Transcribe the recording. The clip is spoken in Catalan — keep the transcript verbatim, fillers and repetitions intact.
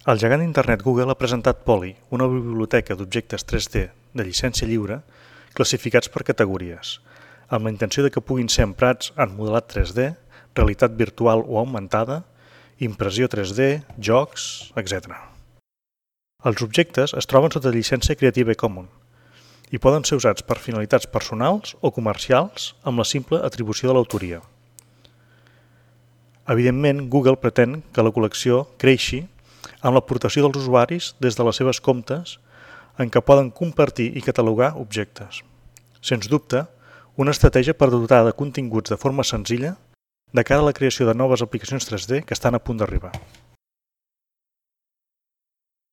El gegant d'internet Google ha presentat Poly, una biblioteca d'objectes tres D de llicència lliure classificats per categories, amb la intenció de que puguin ser emprats en modelat tres D, realitat virtual o augmentada, impressió tres D, jocs, etcètera. Els objectes es troben sota llicència Creative Commons i poden ser usats per finalitats personals o comercials amb la simple atribució de l'autoria. Evidentment, Google pretén que la col·lecció creixi amb l'aportació dels usuaris des de les seves comptes en què poden compartir i catalogar objectes. Sens dubte, una estratègia per dotar de continguts de forma senzilla de cara a la creació de noves aplicacions tres D que estan a punt d'arribar.